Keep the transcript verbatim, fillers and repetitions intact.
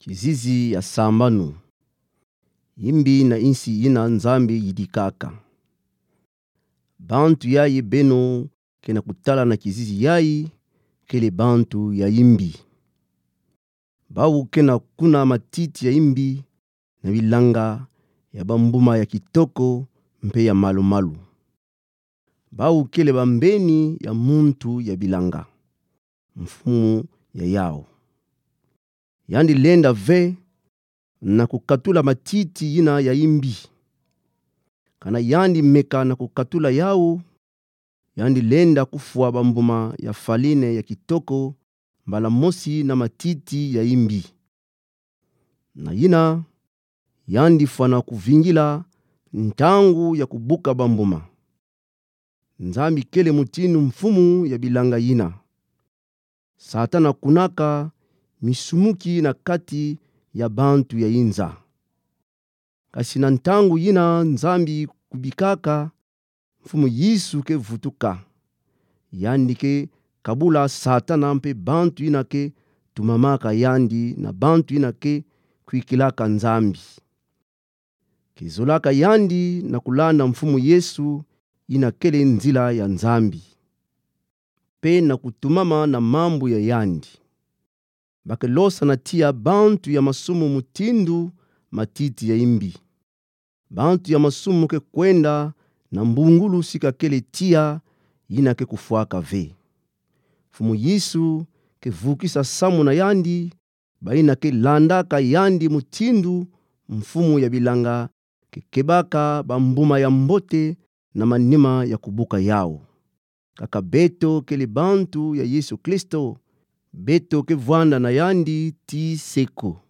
Kizizi ya sambanu. Yimbi na yinsi yina Nzambi yidikaka. Bantu yayi beno ke na kutala na kizizi yayi kele bantu ya yimbi. Bawu ke na kuna matiti ya yimbi na bilanga ya bambuma ya kitoko mpe ya malu-malu. Bawu kele bambeni ya muntu ya bilanga, mfumu ya yawu. Yandi lenda ve na kukatula matiti yina ya yimbi. Kana yandi meka na kukatula yawu, yandi lenda kufwa bambuma ya faline ya kitoko mbala mosi na matiti ya yimbi. Na yina, yandi fwana kuvingila ntangu ya kubuka bambuma. Nzambi kele mutindu mfumu ya bilanga yina. Satana kunaka misumuki na kati ya bantu ya inza. Kasi na ntangu yina Nzambi kubikaka, Mfumu Yesu ke vutuka. Yandi ke kabula Satana mpe bantu yina ke tumamaka yandi na bantu yina ke kwikilaka Nzambi. Ke zolaka yandi na kulanda Mfumu Yesu, yina kele nzila ya Nzambi, mpe na kutumama na mambu ya yandi. Ba ke losa na tiya bantu ya masumu mutindu matiti ya yimbi. Bantu ya masumu ke kwenda na mbungulu si kakele tiya, yina ke kufwaka ve. Mfumu Yesu ke vukisa samu na yandi, bayina ke landaka yandi mutindu mfumu ya bilanga, ke kebaka bambuma ya mbote na manima ya kubuka yawu. Kaka beto kele bantu ya Yesu Kristo, beto ke vwanda na yandi tii seko.